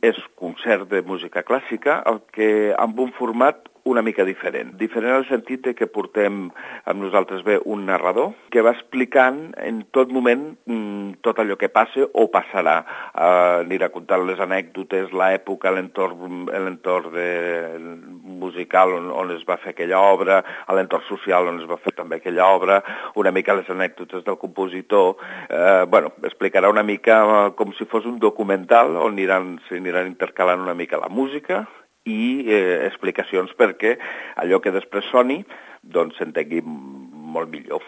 és concert de música clàssica, el que amb un format una mica diferent. Diferent en el sentit que portem amb nosaltres un narrador que va explicant en tot moment tot allò que passa o passarà. Anirà contant les anècdotes, l'època, l'entorn musical on es va fer aquella obra, l'entorn social on es va fer també aquella obra, una mica les anècdotes del compositor. Explicarà una mica com si fos un documental on s'aniran intercalant una mica la música i explicacions perquè allò que després soni doncs s'entengui molt millor.